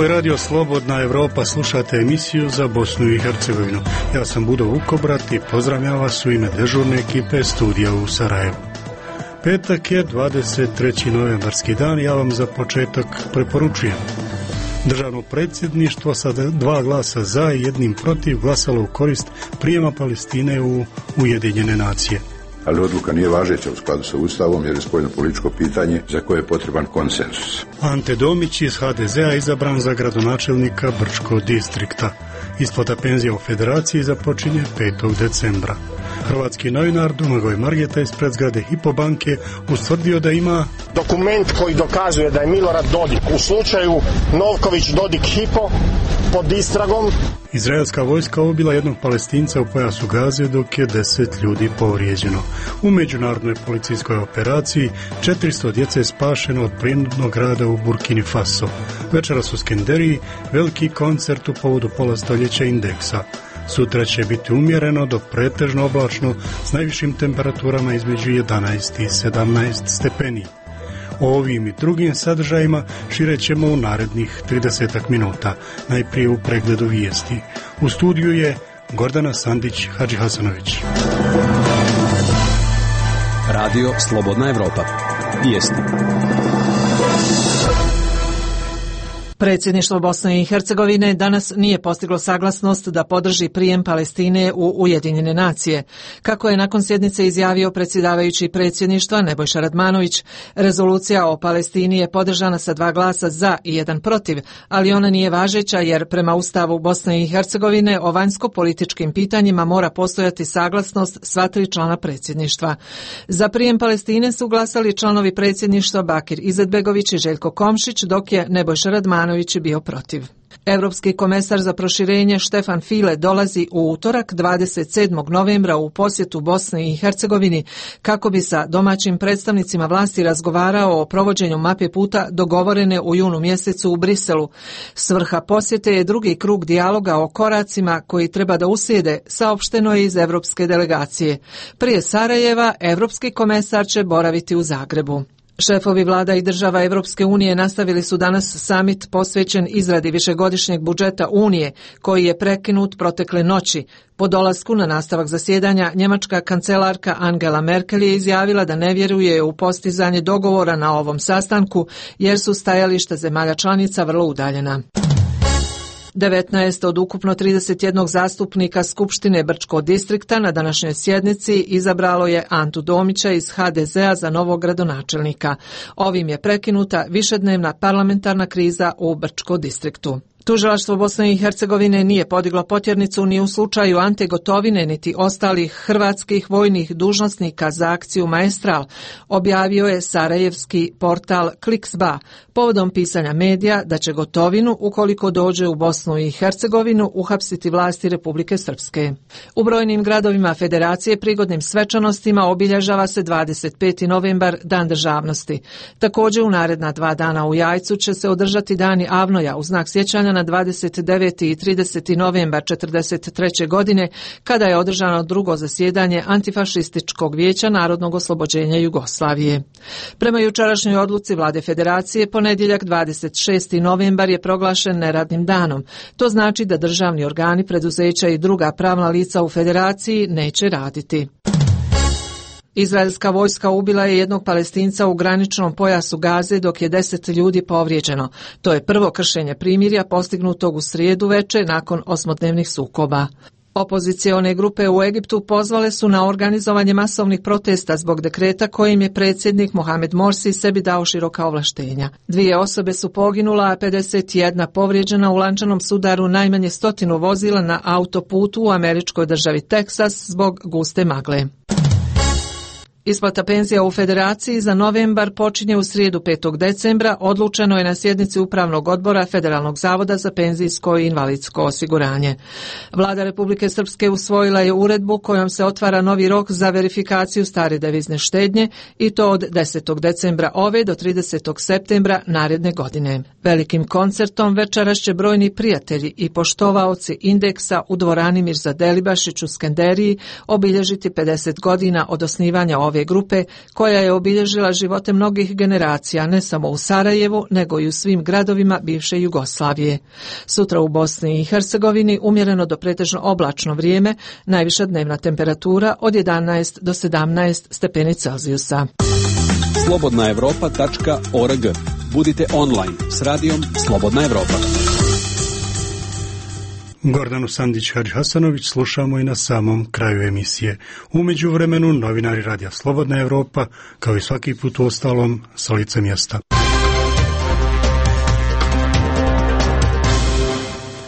Ovo je Radio Slobodna Evropa, slušate emisiju za Bosnu i Hercegovinu. Ja sam Budo Vukobrat i pozdravljam vas u ime dežurne ekipe studija u Sarajevu. Petak je 23. novembarski dan, ja vam za početak preporučujem. Državno predsjedništvo sa 2 glasa za i 1 protiv glasalo u korist prijema Palestine u Ujedinjene nacije. Ali odluka nije važeća u skladu sa Ustavom jer je spoljnopolitičko pitanje za koje je potreban konsenzus. Ante Domić iz HDZ-a izabran za gradonačelnika Brčkog distrikta. Isplata penzija u Federaciji započinje 5. decembra. Hrvatski novinar Domagoj Margeta ispred zgrade Hypo banke ustvrdio da ima dokument koji dokazuje da je Milorad Dodik u slučaju Novković Dodik Hypo pod istragom. Izraelska vojska ubila jednog Palestinca u pojasu Gaze dok je 10 ljudi povrijeđeno. U međunarodnoj policijskoj operaciji 400 djece je spašeno od prinudnog rada u Burkini Faso. Večeras u Skenderiji veliki koncert u povodu polastoljeća indeksa. Sutra će biti umjereno do pretežno oblačno s najvišim temperaturama između 11 i 17 stepeni. O ovim i drugim sadržajima šire ćemo u narednih 30 minuta, najprije u pregledu vijesti. U studiju je Gordana Sandić Hadžihasanović. Radio Slobodna Evropa. Vijesti. Predsjedništvo Bosne i Hercegovine danas nije postiglo saglasnost da podrži prijem Palestine u Ujedinjene nacije. Kako je nakon sjednice izjavio predsjedavajući predsjedništva Nebojša Radmanović, rezolucija o Palestini je podržana sa 2 glasa za i 1 protiv, ali ona nije važeća jer prema Ustavu Bosne i Hercegovine o vanjsko-političkim pitanjima mora postojati saglasnost sva 3 člana predsjedništva. Za prijem Palestine su glasali članovi predsjedništva Bakir Izetbegović i Željko Komšić, dok je Nebojša Radmanović bio protiv. Europski komesar za proširenje Štefan File dolazi u utorak 27. novembra u posjetu Bosni i Hercegovini kako bi sa domaćim predstavnicima vlasti razgovarao o provođenju mape puta dogovorene u junu mjesecu u Briselu. Svrha posjete je drugi krug dijaloga o koracima koji treba da uslijede, saopšteno je iz europske delegacije. Prije Sarajeva, europski komesar će boraviti u Zagrebu. Šefovi vlada i država Evropske unije nastavili su danas samit posvećen izradi višegodišnjeg budžeta Unije, koji je prekinut protekle noći. Po dolasku na nastavak zasjedanja, njemačka kancelarka Angela Merkel je izjavila da ne vjeruje u postizanje dogovora na ovom sastanku, jer su stajališta zemalja članica vrlo udaljena. 19 od ukupno 31 zastupnika Skupštine Brčkog distrikta na današnjoj sjednici izabralo je Antu Domića iz HDZ-a za novog gradonačelnika. Ovim je prekinuta višednevna parlamentarna kriza u Brčkom distriktu. Tužilaštvo Bosne i Hercegovine nije podiglo potjernicu ni u slučaju Ante Gotovine niti ostalih hrvatskih vojnih dužnosnika za akciju Maestral, objavio je sarajevski portal Kliksba povodom pisanja medija da će Gotovinu, ukoliko dođe u Bosnu i Hercegovinu, uhapsiti vlasti Republike Srpske. U brojnim gradovima Federacije prigodnim svečanostima obilježava se 25. novembar, Dan državnosti. Također u naredna 2 dana u Jajcu će se održati Dani Avnoja u znak sjećanja na 29. i 30. novembar 1943. godine, kada je održano drugo zasjedanje Antifašističkog vijeća Narodnog oslobođenja Jugoslavije. Prema jučerašnjoj odluci Vlade Federacije, ponedjeljak 26. novembar je proglašen neradnim danom. To znači da državni organi, preduzeća i druga pravna lica u Federaciji neće raditi. Izraelska vojska ubila je jednog Palestinca u graničnom pojasu Gaze dok je 10 ljudi povrijeđeno. To je prvo kršenje primirja postignutog u srijedu veče nakon 8-dnevnih sukoba. Opozicione grupe u Egiptu pozvale su na organizovanje masovnih protesta zbog dekreta kojim je predsjednik Mohamed Morsi sebi dao široka ovlaštenja. 2 osobe su poginula, a 51 povrijeđena u lančanom sudaru najmanje 100 vozila na autoputu u američkoj državi Teksas zbog guste magle. Isplata penzija u Federaciji za novembar počinje u srijedu 5. decembra, odlučeno je na sjednici Upravnog odbora Federalnog zavoda za penzijsko i invalidsko osiguranje. Vlada Republike Srpske usvojila je uredbu kojom se otvara novi rok za verifikaciju stare devizne štednje i to od 10. decembra ove do 30. septembra naredne godine. Velikim koncertom večeras će brojni prijatelji i poštovaoci indeksa u dvorani Mirza Delibašić u Skenderiji obilježiti 50 godina od osnivanja ove ove grupe koja je obilježila živote mnogih generacija ne samo u Sarajevu nego i u svim gradovima bivše Jugoslavije. Sutra u Bosni i Hercegovini umjereno do pretežno oblačno vrijeme, najviša dnevna temperatura od 11 do 17 stepeni Celzijusa. slobodnaevropa.org. Budite online s radijom Slobodna Evropa. Gordanu Sandić-Hadžihasanović slušamo i na samom kraju emisije. U međuvremenu novinari Radija Slobodna Evropa, kao i svaki put u ostalom, sa lice mjesta.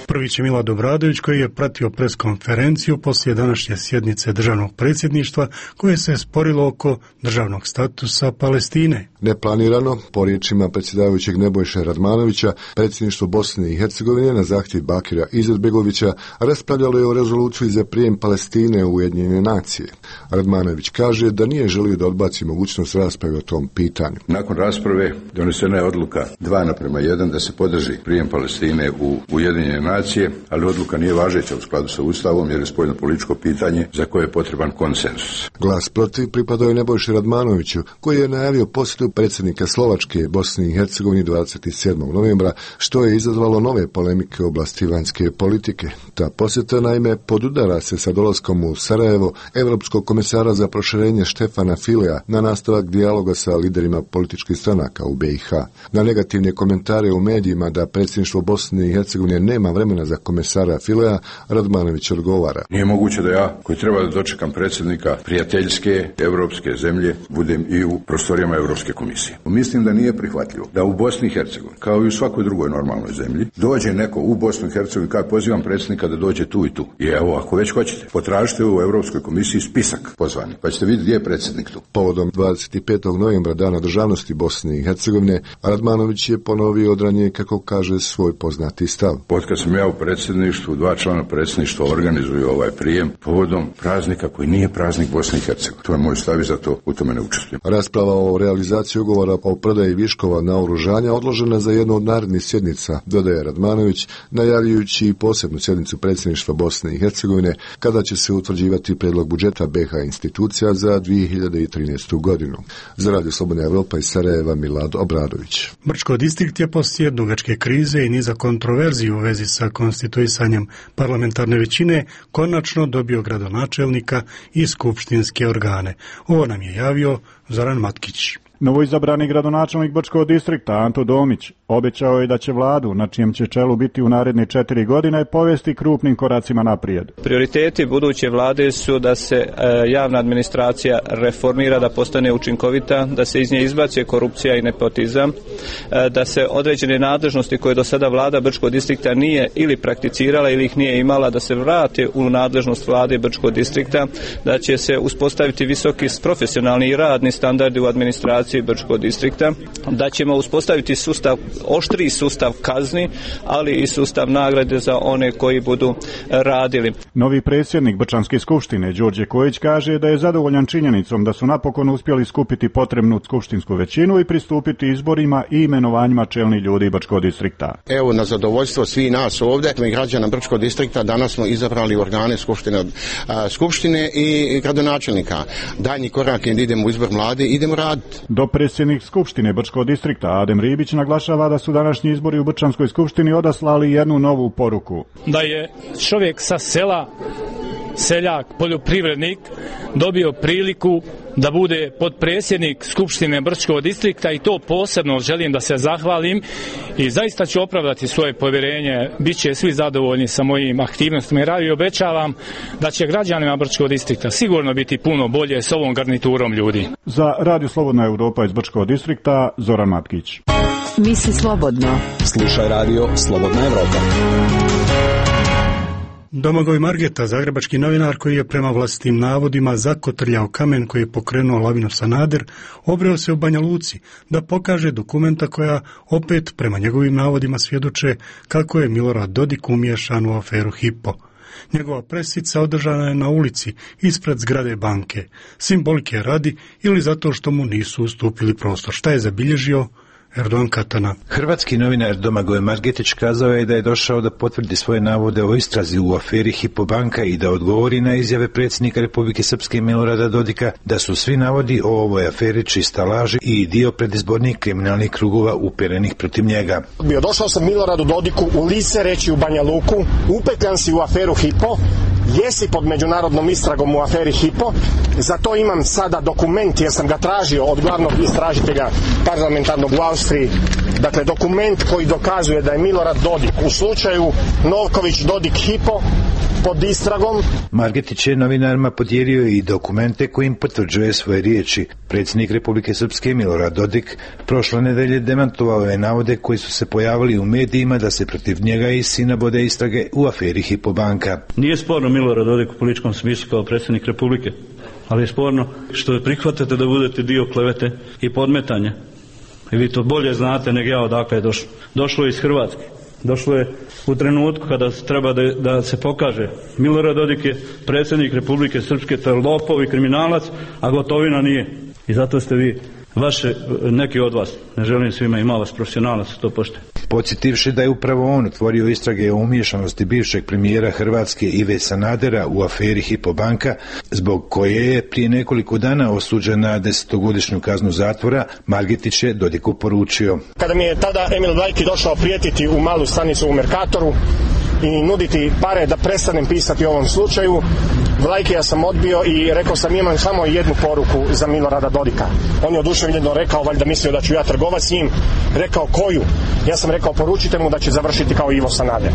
Prvi će Milorad Obradović, koji je pratio preskonferenciju poslije današnje sjednice državnog predsjedništva koje se sporilo oko državnog statusa Palestine. Neplanirano, po riječima predsjedavajućeg Nebojše Radmanovića, predsjedništvo Bosne i Hercegovine na zahtjev Bakira Izetbegovića raspravljalo je o rezoluciji za prijem Palestine u Ujedinjene nacije. Radmanović kaže da nije želio da odbaci mogućnost rasprave o tom pitanju. Nakon rasprave donesena je odluka 2:1 da se podrži prijem Palestine u Ujedinjene nacije, ali odluka nije važeća u skladu sa Ustavom jer je spoljno političko pitanje za koje je potreban konsenzus. Glas protiv pripadao je Nebojši Radmanoviću, koji je najavio posjetu predsjednika Slovačke Bosni i Hercegovini 27. novembra, što je izazvalo nove polemike u oblasti vanjske politike. Ta posjeta naime podudara se sa dolaskom u Sarajevo Evropskog komesara za proširenje Štefana Filea na nastavak dijaloga sa liderima političkih stranaka u BiH. Na negativne komentare u medijima da predsjedništvo Bosne i Hercegovine nema vremena za komesara Filea, Radmanović odgovara: nije moguće da ja, koji treba da dočekam predsjednika prijateljske evropske zemlje, budem i u prostorijama Evropske komisije. Mislim da nije prihvatljivo da u Bosni i Hercegovini, kao i u svakoj drugoj normalnoj zemlji, dođe neko u Bosnu i Hercegovini, kao pozivam predsjednika da dođe tu i tu. I evo, ako već hoćete, potražite u Evropskoj komisiji spisak pozvani, pa ćete vidjeti gdje je predsjednik tu. Povodom 25. novembra, Dana državnosti Bosne i Hercegovine, Radmanović je ponovio odranje, kako kaže, svoj poznati stav. Otkad sam ja u predsjedništvu, 2 člana predsjedništva organizuju ovaj prijem povodom praznika koji nije praznik Bosne i Hercegovine. To je moj stav i zato u tome ne učestvujem. Rasprava o realizaciji ugovora o prodaji viškova naoružanja odložena za jednu od narednih sjednica, dodaje Radmanović, najavljujući i posebnu sjednicu predsjedništva Bosne i Hercegovine, kada će se utvrđivati prijedlog budžeta BiH institucija za 2013. godinu. Za Radio Slobodna Evropa iz Sarajeva, Milorad Obradović. Brčko distrikt je poslije dugačke krize i niza kontroverziji u vezi sa konstituisanjem parlamentarne većine konačno dobio gradonačelnika i skupštinske organe. Ovo nam je javio Zoran Matkić. Novoizabrani gradonačelnik Brčkog distrikta Anto Domić obećao je da će vladu, na čijem će čelu biti u naredne 4 godine, povesti krupnim koracima naprijed. Prioriteti buduće vlade su da se javna administracija reformira, da postane učinkovita, da se iz nje izbaci korupcija i nepotizam, da se određene nadležnosti koje do sada vlada Brčkog distrikta nije ili prakticirala ili ih nije imala, da se vrate u nadležnost vlade Brčkog distrikta, da će se uspostaviti visoki profesionalni i radni standardi u administraciji Brčkog distrikta, da ćemo uspostaviti oštriji sustav kazni, ali i sustav nagrade za one koji budu radili. Novi predsjednik Brčanske skupštine Đorđe Kojić kaže da je zadovoljan činjenicom da su napokon uspjeli skupiti potrebnu skupštinsku većinu i pristupiti izborima i imenovanjima čelnih ljudi Brčkog distrikta. Evo, na zadovoljstvo svih nas ovdje, građana Brčkog distrikta, danas smo izabrali organe skupštine i gradonačelnika. Daljnji korak je da idemo u izbor mlade, idemo raditi. Dopredsjednik skupštine Brčkog distrikta Adem Ribić naglašava da su današnji izbori u Brčanskoj skupštini odaslali jednu novu poruku. Da je čovjek sa sela, seljak, poljoprivrednik, dobio priliku da bude potpredsjednik Skupštine Brčkog distrikta i to posebno želim da se zahvalim i zaista ću opravdati svoje povjerenje. Biće svi zadovoljni sa mojim aktivnostima i obećavam da će građanima Brčkog distrikta sigurno biti puno bolje s ovom garniturom ljudi. Za Radio Slobodna Evropa iz Brčkog distrikta, Zoran Matkić. Misli slobodno. Slušaj Radio Slobodna Evropa. Domagoj Margeta, zagrebački novinar koji je prema vlastitim navodima zakotrljao kamen koji je pokrenuo lavinu Sanader, obreo se u Banja Luci da pokaže dokumenta koja opet prema njegovim navodima svjedoče kako je Milorad Dodik umiješan u aferu Hypo. Njegova presica održana je na ulici ispred zgrade banke, simbolike radi ili zato što mu nisu ustupili prostor. Šta je zabilježio? Erdogan Katana. Hrvatski novinar Domagoj Margetić kazao je da je došao da potvrdi svoje navode o istrazi u aferi Hypo banka i da odgovori na izjave predsjednika Republike Srpske Milorada Dodika da su svi navodi o ovoj aferi čista laž i dio predizbornih kriminalnih krugova uperenih protiv njega. Došao sam Miloradu Dodiku u lice reći u Banja Luku, upetljan si u aferu Hypo, jesi pod međunarodnom istragom u aferi Hypo, za to imam sada dokument jer sam ga tražio od glavnog istražitelja parlamentarnog u Austriji, dakle dokument koji dokazuje da je Milorad Dodik u slučaju Novković-Dodik Hypo pod istragom. Margetić je novinarima podijelio i dokumente kojim potvrđuje svoje riječi. Predsjednik Republike Srpske Milorad Dodik prošle nedelje demantovao je navode koji su se pojavili u medijima da se protiv njega i sina vode istrage u aferi Hypo banka. Nije sporno Milorad Dodik u političkom smislu kao predsjednik Republike, ali je sporno što prihvatate da budete dio klevete i podmetanja. I vi to bolje znate nego ja odakle je došlo. Došlo je iz Hrvatske. Došlo je u trenutku kada treba da se pokaže. Milorad Dodik je predsjednik Republike Srpske, to je lopov i kriminalac, a Gotovina nije. I zato ste vi, neki od vas, ne želim svima, ima vas profesionalac, to pošte. Podsjetivši da je upravo on otvorio istrage o umiješanosti bivšeg premijera Hrvatske Ive Sanadera u aferi Hypo banka, zbog koje je prije nekoliko dana osuđen na 10-godišnju kaznu zatvora, Margetić je Dodiku poručio. Kada mi je tada Emil Vlajki došao prijetiti u malu stanicu u Merkatoru i nuditi pare da prestanem pisati o ovom slučaju, Vlajkija sam odbio i rekao sam imam samo jednu poruku za Milorada Dodika. On je oduševljeno rekao, valjda mislio da ću ja trgovati s njim, rekao koju? Ja sam rekao poručite mu da će završiti kao Ivo Sanader.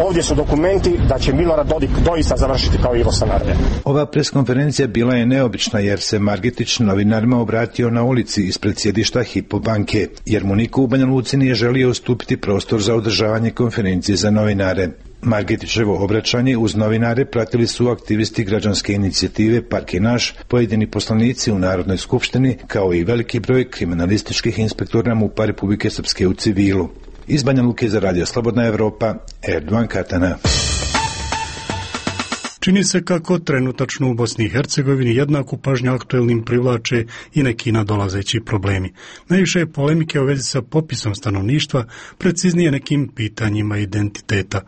Ovdje su dokumenti da će Milorad Dodik doista završiti kao Ivo Sanader. Ova preskonferencija bila je neobična jer se Margetić novinarima obratio na ulici ispred sjedišta Hypo banke, jer mu niko u Banja Luci nije želio ustupiti prostor za održavanje konferencije za novinare. Margetićevo obraćanje uz novinare pratili su aktivisti građanske inicijative Park je naš, pojedini poslanici u Narodnoj skupštini, kao i veliki broj kriminalističkih inspektora MUP-a Republike Srpske u civilu. Iz Banja Luke za Radio Slobodna Evropa, Erdogan Katana. Čini se kako trenutačno u Bosni i Hercegovini jednaku pažnju aktuelnim privlače i neki nadolazeći problemi. Najviše je polemike u vezi sa popisom stanovništva, preciznije nekim pitanjima identiteta.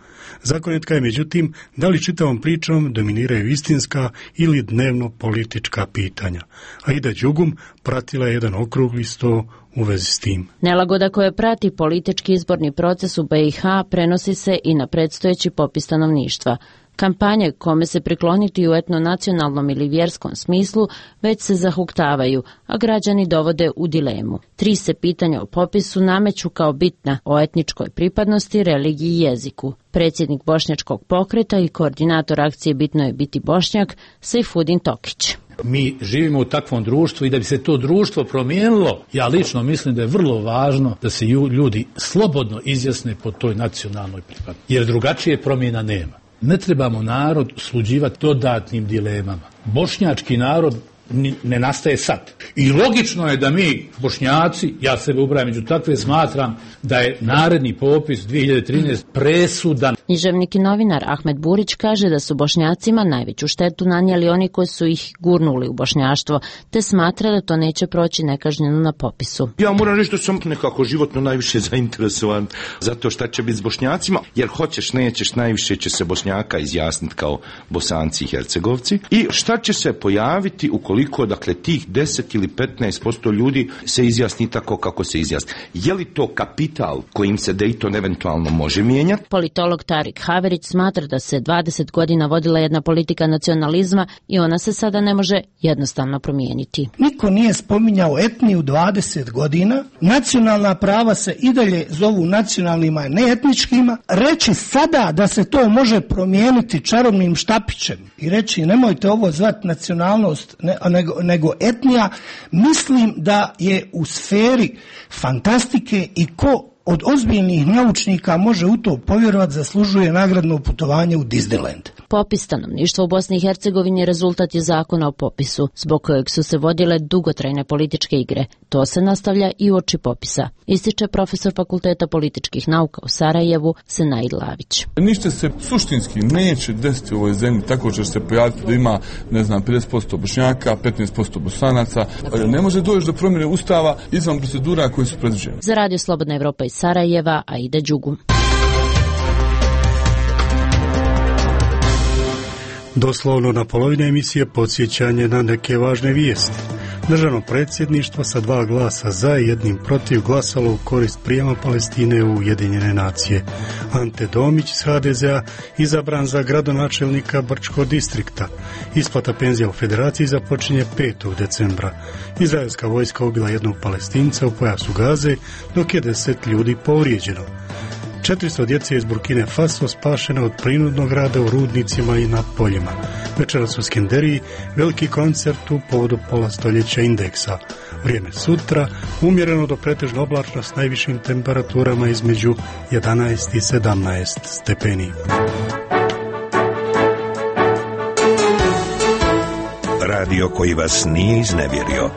Zagonetka je međutim da li čitavom pričom dominiraju istinska ili dnevno politička pitanja. Aida Đugum pratila je jedan okrugli sto u vezi s tim. Nelagoda koja prati politički izborni proces u BiH prenosi se i na predstojeći popis stanovništva. Kampanje kome se prikloniti u etnonacionalnom ili vjerskom smislu već se zahuktavaju, a građani dovode u dilemu. 3 se pitanja o popisu nameću kao bitna o etničkoj pripadnosti, religiji i jeziku. Predsjednik Bošnjačkog pokreta i koordinator akcije Bitno je biti Bošnjak, Sejfudin Tokić. Mi živimo u takvom društvu i da bi se to društvo promijenilo, ja lično mislim da je vrlo važno da se ljudi slobodno izjasne po toj nacionalnoj pripadnosti, jer drugačije promjena nema. Ne trebamo narod sluđivati dodatnim dilemama. Bošnjački narod ne nastaje sad. I logično je da mi, Bošnjaci, ja sebe ubrajam među takve, smatram da je naredni popis 2013 presudan. Književnik i novinar Ahmed Burić kaže da su Bošnjacima najveću štetu nanijeli oni koji su ih gurnuli u bošnjaštvo, te smatra da to neće proći nekažnjeno na popisu. Ja moram reći da sam nekako životno najviše zainteresovan zato šta će biti s Bošnjacima, jer hoćeš, nećeš, najviše će se Bošnjaka izjasniti kao Bosanci i Hercegovci. I šta će se pojaviti ukoliko, dakle, tih 10 ili 15% ljudi se izjasni tako kako se izjasni. Je li to kapital kojim se Dayton eventualno može mijenjati? Politolog Tarik Haverić smatra da se 20 godina vodila jedna politika nacionalizma i ona se sada ne može jednostavno promijeniti. Niko nije spominjao etniju 20 godina, nacionalna prava se i dalje zovu nacionalnima, a ne etničkima. Reći sada da se to može promijeniti čarobnim štapićem i reći nemojte ovo zvati nacionalnost nego etnija, mislim da je u sferi fantastike i ko od ozbiljnih naučnika može u to povjerovati zaslužuje nagradno putovanje u Disneyland. Popis stanovništva u Bosni i Hercegovini rezultat je zakona o popisu, zbog kojeg su se vodile dugotrajne političke igre. To se nastavlja i uoči popisa, ističe profesor Fakulteta političkih nauka u Sarajevu Senaid Lavić. Ništa se suštinski neće desiti u ovoj zemlji tako će se pojaviti da ima, 50% Bošnjaka, 15% Bosanaca. Ne može doći do promjene ustava izvan procedura koje su predviđene. Za Radio Slobodna Evropa iz Sarajeva, Aida Đugum. Doslovno na polovini emisije podsjećanje na neke važne vijesti. Državno predsjedništvo sa 2 glasa za i 1 protiv glasalo u korist prijema Palestine u Ujedinjene nacije. Ante Domić iz HDZ-a izabran za gradonačelnika Brčkog distrikta. Isplata penzija u federaciji započinje 5. decembra. Izraelska vojska ubila 1 Palestinca u pojasu Gaze, dok je 10 ljudi povrijeđeno. 400 djece iz Burkine Faso spašeno od prinudnog rada u rudnicima i na poljima. Večeras u Skenderiji veliki koncert u povodu pola stoljeća indeksa. Vrijeme sutra umjereno do pretežno oblačno s najvišim temperaturama između 11 i 17 stepeni. Radio koji vas nije iznevjerio.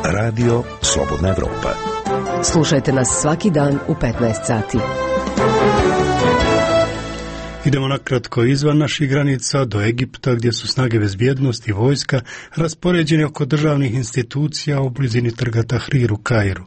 Radio Slobodna Evropa. Slušajte nas svaki dan u 15 sati. Idemo nakratko izvan naših granica do Egipta, gdje su snage bezbjednosti i vojska raspoređene oko državnih institucija u blizini trga Tahrir u Kairu.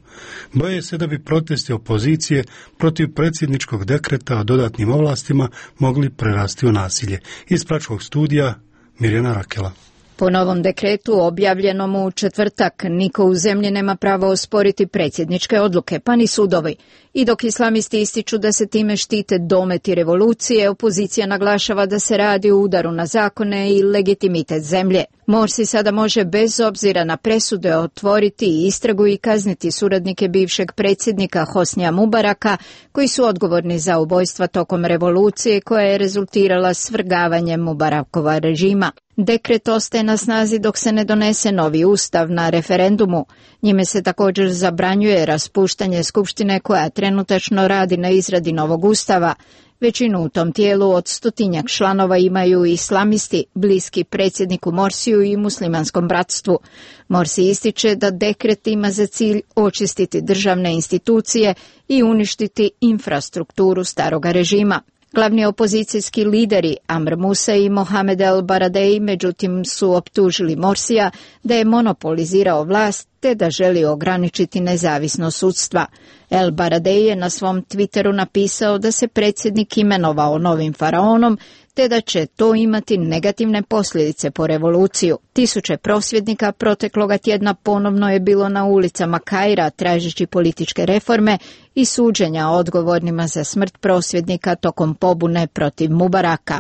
Boje se da bi protesti opozicije protiv predsjedničkog dekreta o dodatnim ovlastima mogli prerasti u nasilje. Iz Pračkog studija Mirjana Rakela. Po novom dekretu objavljenom u četvrtak, niko u zemlji nema pravo osporiti predsjedničke odluke, pa ni sudovi. I dok islamisti ističu da se time štite dometi revolucije, opozicija naglašava da se radi o udaru na zakone i legitimitet zemlje. Morsi sada može bez obzira na presude otvoriti istragu i kazniti suradnike bivšeg predsjednika Hosnija Mubaraka, koji su odgovorni za ubojstva tokom revolucije koja je rezultirala svrgavanjem Mubarakova režima. Dekret ostaje na snazi dok se ne donese novi ustav na referendumu. Njime se također zabranjuje raspuštanje skupštine koja trenutačno radi na izradi novog ustava. Većinu u tom tijelu od 100-tinjak članova imaju islamisti, bliski predsjedniku Morsiju i muslimanskom bratstvu. Morsi ističe da dekret ima za cilj očistiti državne institucije i uništiti infrastrukturu staroga režima. Glavni opozicijski lideri Amr Musa i Mohamed El Baradei međutim su optužili Morsija da je monopolizirao vlast te da želi ograničiti nezavisnost sudstva. El Baradei je na svom Twitteru napisao da se predsjednik imenovao novim faraonom te da će to imati negativne posljedice po revoluciju. Tisuće prosvjednika protekloga tjedna ponovno je bilo na ulicama Kaira tražeći političke reforme i suđenja odgovornima za smrt prosvjednika tokom pobune protiv Mubaraka.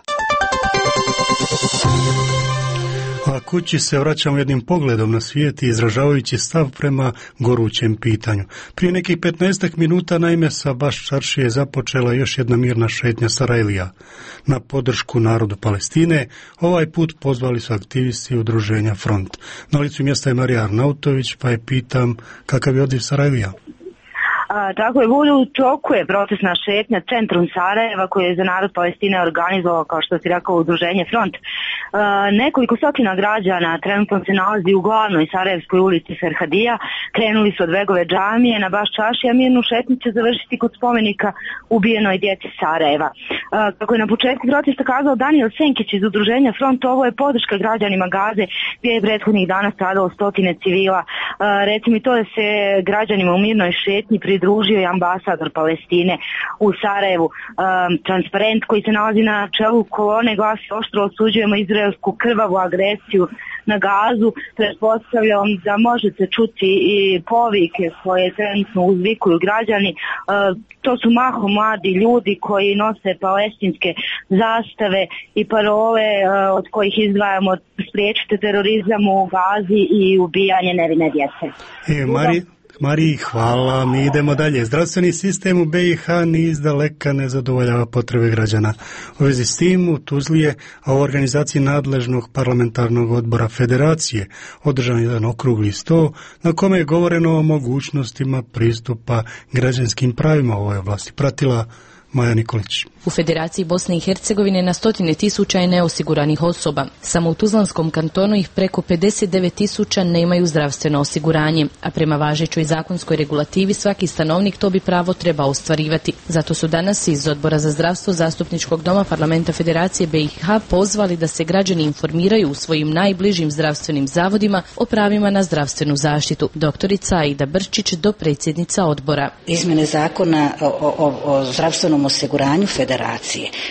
A kući se vraćamo jednim pogledom na svijet i izražavajući stav prema gorućem pitanju. Prije nekih 15 minuta naime sa Baš Čaršije započela još jedna mirna šetnja Sarajlija. Na podršku narodu Palestine ovaj put pozvali su aktivisti udruženja Front. Na licu mjesta je Marija Arnautović, pa je pitam kakav je odliv Sarajlija. Tako je, u toku je protestna šetnja centrum Sarajeva koji je za narod Palestine organizovao, kao što si rekao, udruženje Front. Nekoliko stotina građana trenutno se nalazi u glavnoj Sarajevskoj ulici Ferhadija. Krenuli su od Begove džamije na Baš Čaršija, a mirnu šetnju će završiti kod spomenika ubijenoj djeci Sarajeva. Kako je na početku protesta kazao Daniel Senkić iz udruženja Front, ovo je podrška građanima Gaze gdje je prethodnih dana stradalo 100 civila. Recimo i to da se građanima u mirnoj šetnji pridružio i ambasador Palestine u Sarajevu. Transparent koji se nalazi na čelu kolone glasi: oštro osuđujemo izraelsku krvavu agresiju na Gazu. Pretpostavljam da možete čuti i povike koje trenutno uzvikuju građani. To su mahom mladi ljudi koji nose palestinske zastave i parole od kojih izdvajamo spriječite terorizam u Gazi i ubijanje nevine djece. Mariji, hvala. Mi idemo dalje. Zdravstveni sistem u BiH ni izdaleka ne zadovoljava potrebe građana. U vezi s tim u Tuzli je, a u organizaciji nadležnog parlamentarnog odbora Federacije održan jedan okrugli sto na kome je govoreno o mogućnostima pristupa građanskim pravima u ovoj oblasti. Pratila Maja Nikolić. U Federaciji Bosne i Hercegovine na 100.000 je neosiguranih osoba. Samo u Tuzlanskom kantonu ih preko 59.000 nemaju zdravstveno osiguranje, a prema važećoj zakonskoj regulativi svaki stanovnik to bi pravo treba ostvarivati. Zato su danas iz Odbora za zdravstvo Zastupničkog doma Parlamenta Federacije BiH pozvali da se građani informiraju u svojim najbližim zdravstvenim zavodima o pravima na zdravstvenu zaštitu. Doktorica Aida Brčić, dopredsjednica odbora. Izmjene zakona o zdravstvenom osiguranju Federacije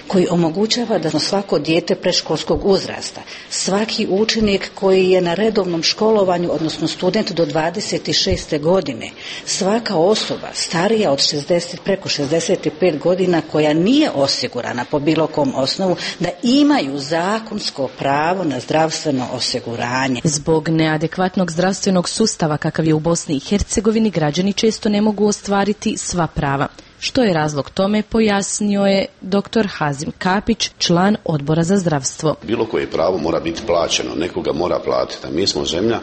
koji omogućava da svako dijete predškolskog uzrasta, svaki učenik koji je na redovnom školovanju, odnosno student do 26. godine, svaka osoba starija od 60 preko 65 godina koja nije osigurana po bilo kom osnovu, da imaju zakonsko pravo na zdravstveno osiguranje. Zbog neadekvatnog zdravstvenog sustava kakav je u Bosni i Hercegovini, građani često ne mogu ostvariti sva prava. Što je razlog tome, pojasnio je dr. Hazim Kapić, član Odbora za zdravstvo. Bilo koje pravo mora biti plaćeno, nekoga mora platiti. A mi smo zemlja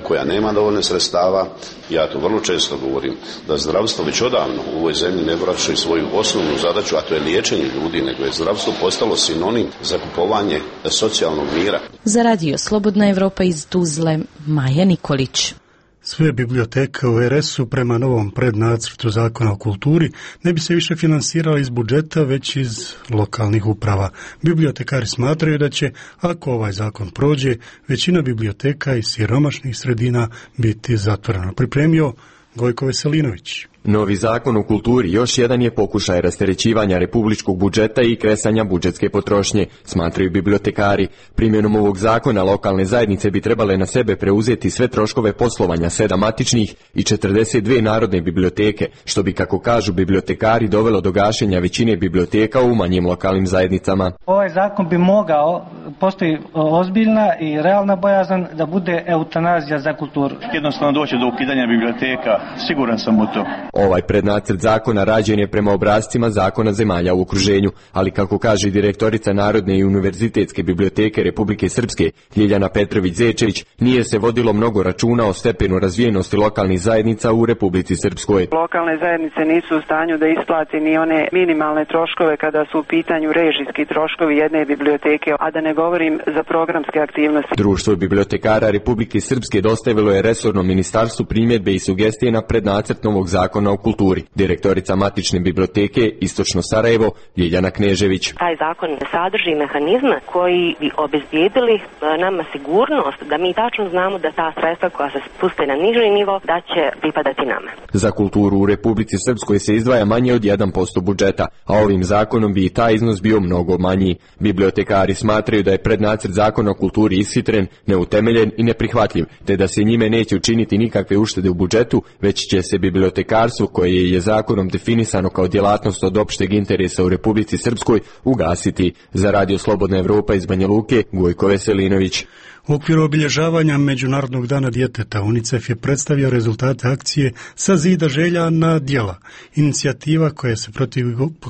koja nema dovoljne sredstava. Ja to vrlo često govorim, da zdravstvo već odavno u ovoj zemlji ne vrši svoju osnovnu zadaću, a to je liječenje ljudi, nego je zdravstvo postalo sinonim za kupovanje socijalnog mira. Za radio Slobodna Evropa iz Tuzle, Maja Nikolić. Sve biblioteke u RS-u prema novom prednacrtu zakona o kulturi ne bi se više finansirali iz budžeta, već iz lokalnih uprava. Bibliotekari smatraju da će, ako ovaj zakon prođe, većina biblioteka iz siromašnih sredina biti zatvorena. Pripremio Gojko Veselinović. Novi zakon o kulturi još jedan je pokušaj rasterećivanja republičkog budžeta i kresanja budžetske potrošnje, smatraju bibliotekari. Primjenom ovog zakona lokalne zajednice bi trebale na sebe preuzeti sve troškove poslovanja 7 matičnih i 42 narodne biblioteke, što bi, kako kažu bibliotekari, dovelo do gašenja većine biblioteka u manjim lokalnim zajednicama. Ovaj zakon bi mogao, postoji ozbiljna i realna bojazan da bude eutanazija za kulturu. Jednostavno doći do ukidanja biblioteka, siguran sam u to. Ovaj prednacrt zakona rađen je prema obrascima zakona zemalja u okruženju, ali kako kaže direktorica Narodne i univerzitetske biblioteke Republike Srpske Ljiljana Petrović-Zečević, nije se vodilo mnogo računa o stepenu razvijenosti lokalnih zajednica u Republici Srpskoj. Lokalne zajednice nisu u stanju da isplati ni one minimalne troškove kada su u pitanju režijski troškovi jedne biblioteke, a da ne govorim za programske aktivnosti. Društvo bibliotekara Republike Srpske dostavilo je resornom ministarstvu primjedbe i sugestije na prednacrt novog zakona o kulturi. Direktorica matične biblioteke Istočno Sarajevo Ljiljana Knežević. Taj zakon sadrži mehanizme koji bi obezbijedili nama sigurnost da mi tačno znamo da ta sredstva koja se spuste na niži nivo da će pripadati nama. Za kulturu u Republici Srpskoj se izdvaja manje od 1% budžeta, a ovim zakonom bi i taj iznos bio mnogo manji. Bibliotekari smatraju da je prednacrt zakona o kulturi ishitren, neutemeljen i neprihvatljiv, te da se njime neće učiniti nikakve uštede u budžetu, već će se bibliotekarstvo, koje je zakonom definisano kao djelatnost od opšteg interesa u Republici Srpskoj, ugasiti. Za radio Slobodna Evropa iz Banja Luke, Gojko Veselinović. U okviru obilježavanja Međunarodnog dana djeteta UNICEF je predstavio rezultate akcije Sa zida želja na djela. Inicijativa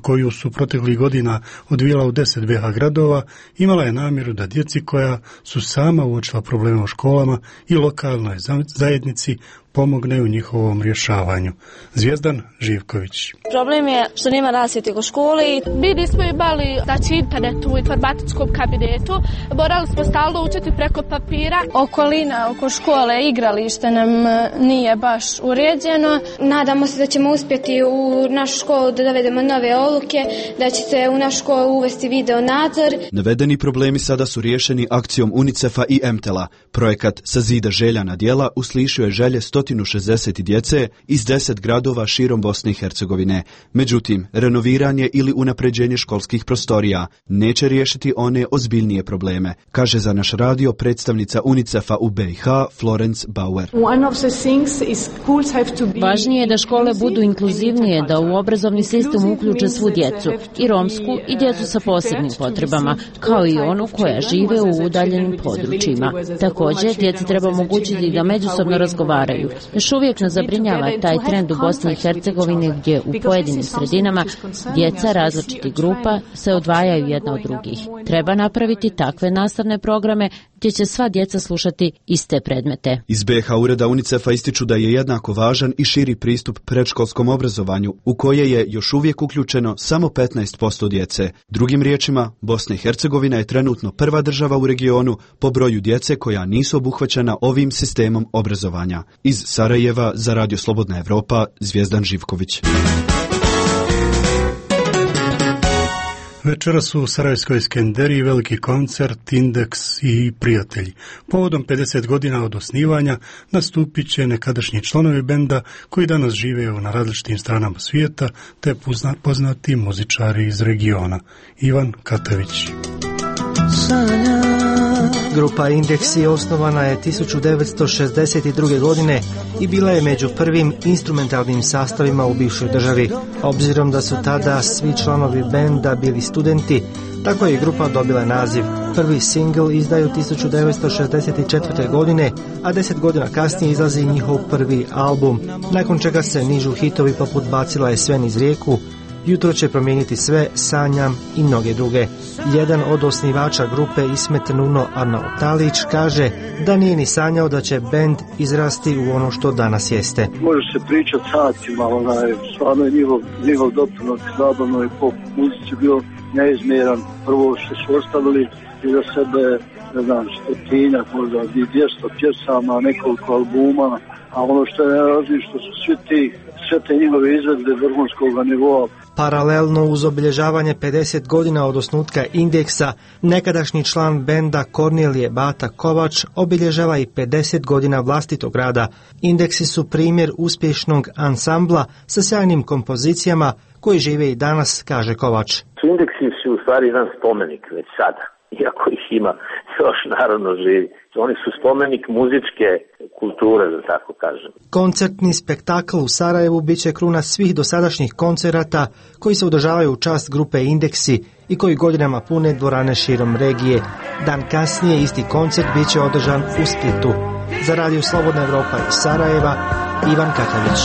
koju su proteklih godina odvijala u 10 BiH gradova imala je namjeru da djeci koja su sama uočila probleme u školama i lokalnoj zajednici pomogne u njihovom rješavanju. Zvijezdan Živković. Problem je što nema rasvjete u školi. Mi nismo imali internet u informatičkom kabinetu. Morali smo stalno učiti preko papira. Okolina oko škole, igralište nam nije baš uređeno. Nadamo se da ćemo uspjeti u našu školu da dovedemo nove odluke, da će se u našu školu uvesti video nadzor. Navedeni problemi sada su riješeni akcijom UNICEF-a i MTEL-a. Projekat Sa zida želja na djela uslišio je želje 160 djece iz 10 gradova širom Bosne i Hercegovine. Međutim, renoviranje ili unapređenje školskih prostorija neće riješiti one ozbiljnije probleme, kaže za naš radio predstavnica UNICEF-a u BiH Florence Bauer. Važnije je da škole budu inkluzivnije, da u obrazovni sistem uključe svu djecu, i romsku i djecu sa posebnim potrebama, kao i onu koja žive u udaljenim područjima. Također, djeci treba omogućiti da međusobno razgovaraju. Još uvijek nas zabrinjava taj trend u Bosni i Hercegovini gdje u pojedinim sredinama djeca različitih grupa se odvajaju jedna od drugih. Treba napraviti takve nastavne programe gdje će sva djeca slušati iste predmete. Iz BiH ureda UNICEF-a ističu da je jednako važan i širi pristup predškolskom obrazovanju, u koje je još uvijek uključeno samo 15% djece. Drugim riječima, Bosna i Hercegovina je trenutno prva država u regionu po broju djece koja nisu obuhvaćena ovim sistemom obrazovanja. Iz Sarajeva za Radio Slobodna Evropa, Zvijezdan Živković. Večeras u Sarajevskoj Skenderiji veliki koncert Indeks i prijatelji. Povodom 50 godina od osnivanja nastupit će nekadašnji članovi benda koji danas žive na različitim stranama svijeta te poznati muzičari iz regiona. Ivan Katavić. Grupa Indeksi osnovana je 1962. godine i bila je među prvim instrumentalnim sastavima u bivšoj državi. Obzirom da su tada svi članovi benda bili studenti, tako je grupa dobila naziv. Prvi singl izdaju 1964. godine, a 10 godina kasnije izlazi njihov prvi album, nakon čega se nižu hitovi poput Bacila je sve niz rijeku, Jutro će promijeniti sve, Sanjam i mnoge druge. Jedan od osnivača grupe Ismet Nuno Arnautalić kaže da nije ni sanjao da će bend izrasti u ono što danas jeste. Može se pričati satima, stvarno je njihov doprinos zabavnoj pop muzici bio neizmjeran. Prvo što su ostavili iza sebe, ne znam, 100, možda 200 pjesama, nekoliko albuma, a ono što je najvažnije što su sve te njihove izvedbe vrhunskog nivoa. Paralelno uz obilježavanje 50 godina od osnutka Indeksa, nekadašnji član benda Kornelije Bata Kovač obilježava i 50 godina vlastitog rada. Indeksi su primjer uspješnog ansambla sa sjajnim kompozicijama koji žive i danas, kaže Kovač. Indeksi su u stvari jedan spomenik već sada, iako ih ima još naravno živi. Oni su spomenik muzičke kulture, da tako kažem. Koncertni spektakl u Sarajevu bit će kruna svih dosadašnjih koncerata koji se održavaju u čast grupe Indeksi i koji godinama pune dvorane širom regije. Dan kasnije isti koncert bit će održan u Splitu. Za Radio Slobodna Evropa iz Sarajeva, Ivan Katavić.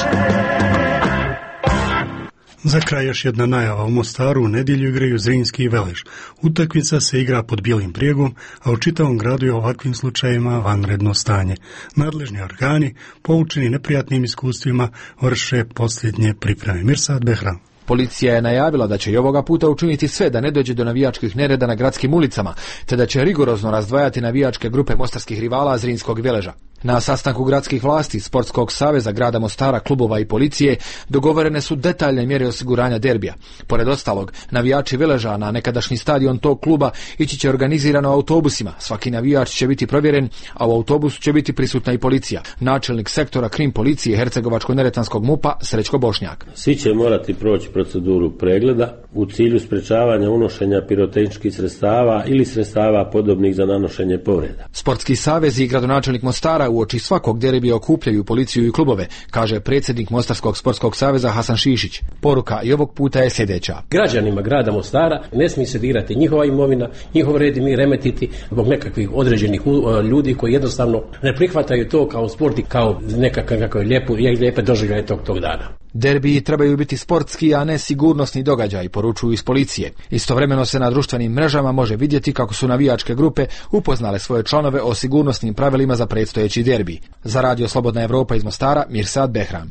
Za kraj još jedna najava. U Mostaru u nedjelju igraju Zrinski i Veleš. Utakmica se igra pod bijelim prijegom, a u čitavom gradu je ovakvim slučajevima vanredno stanje. Nadležni organi, poučeni neprijatnim iskustvima, vrše posljednje pripreme. Mirsad Behram. Policija je najavila da će i ovoga puta učiniti sve da ne dođe do navijačkih nereda na gradskim ulicama, te da će rigorozno razdvajati navijačke grupe mostarskih rivala Zrinskog i Veleža. Na sastanku gradskih vlasti, Sportskog saveza grada Mostara, klubova i policije dogovorene su detaljne mjere osiguranja derbija. Pored ostalog, navijači Veleža na nekadašnji stadion tog kluba ići će organizirano autobusima. Svaki navijač će biti provjeren, a u autobusu će biti prisutna i policija. Načelnik sektora krim policije Hercegovačko-neretvanskog MUP-a Srećko Bošnjak. Svi će morati proći proceduru pregleda u cilju sprečavanja unošenja pirotehničkih sredstava ili sredstava podobnih za nanošenje povreda. Sportski savez i gradonačelnik Mostara uoči svakog derbija okupljaju policiju i klubove, kaže predsjednik Mostarskog sportskog saveza Hasan Šišić. Poruka i ovog puta je sljedeća. Građanima grada Mostara ne smije se dirati njihova imovina, njihov red mi remetiti zbog nekakvih određenih ljudi koji jednostavno ne prihvataju to kao sport i kao nekakve lijepe doživljaje tog dana. Derbiji trebaju biti sportski, a ne sigurnosni događaj, poručuju iz policije. Istovremeno se na društvenim mrežama može vidjeti kako su navijačke grupe upoznale svoje članove o sigurnosnim pravilima za predstojeći derbi. Za Radio Slobodna Evropa iz Mostara, Mirsad Behram.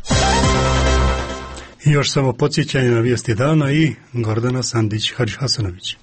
I još samo podsjećanje na vijesti dana i Gordana Sandić-Hadži-Hasanović.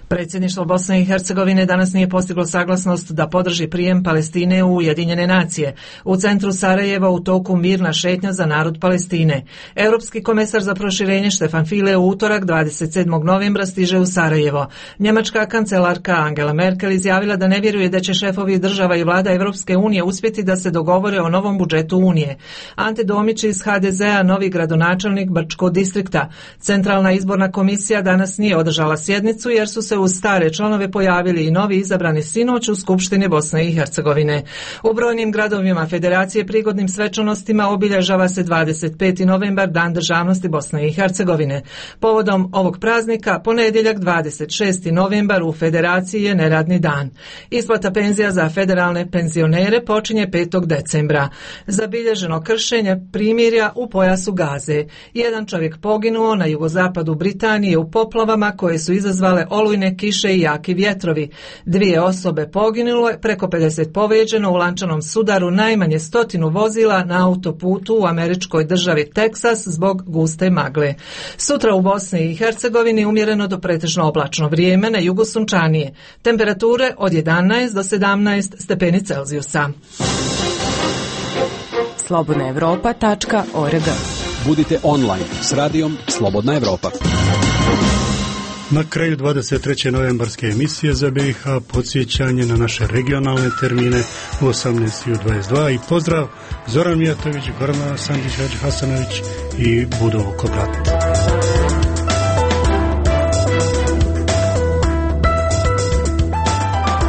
Predsjedništvo Bosne i Hercegovine danas nije postiglo saglasnost da podrži prijem Palestine u Ujedinjene nacije. U centru Sarajeva u toku mirna šetnja za narod Palestine. Europski komesar za proširenje Štefan File u utorak 27. novembra stiže u Sarajevo. Njemačka kancelarka Angela Merkel izjavila da ne vjeruje da će šefovi država i vlada Europske unije uspjeti da se dogovore o novom budžetu Unije. Ante Domić iz HDZ-a, novi gradonačelnik Brčkog distrikta. Centralna izborna komisija danas nije održala sjednicu jer su se uz stare članove pojavili i novi izabrani sinoć u Skupštini Bosne i Hercegovine. U brojnim gradovima Federacije prigodnim svečanostima obilježava se 25. novembar, Dan državnosti Bosne i Hercegovine. Povodom ovog praznika, ponedjeljak 26. novembar u Federaciji je neradni dan. Isplata penzija za federalne penzionere počinje 5. decembra. Zabilježeno kršenje primirja u pojasu Gaze. Jedan čovjek poginuo na jugozapadu Britanije u poplavama koje su izazvale olujne olujne kiše i jaki vjetrovi. 2 osobe poginule, preko 50 povrijeđeno u lančanom sudaru najmanje 100 vozila na autoputu u američkoj državi Teksas zbog guste magle. Sutra u Bosni i Hercegovini umjereno do pretežno oblačno vrijeme, na jugu sunčanije. Temperature od 11 do 17 stepeni Celzijusa. slobodnaevropa.org. Budite online s radijom Slobodna Evropa. Na kraju 23. novembarske emisije za BiH podsjećanje na naše regionalne termine u 18:22 i pozdrav Zoran Mijatović, Gorana Sandić, Hasanović i Budo Kobrat.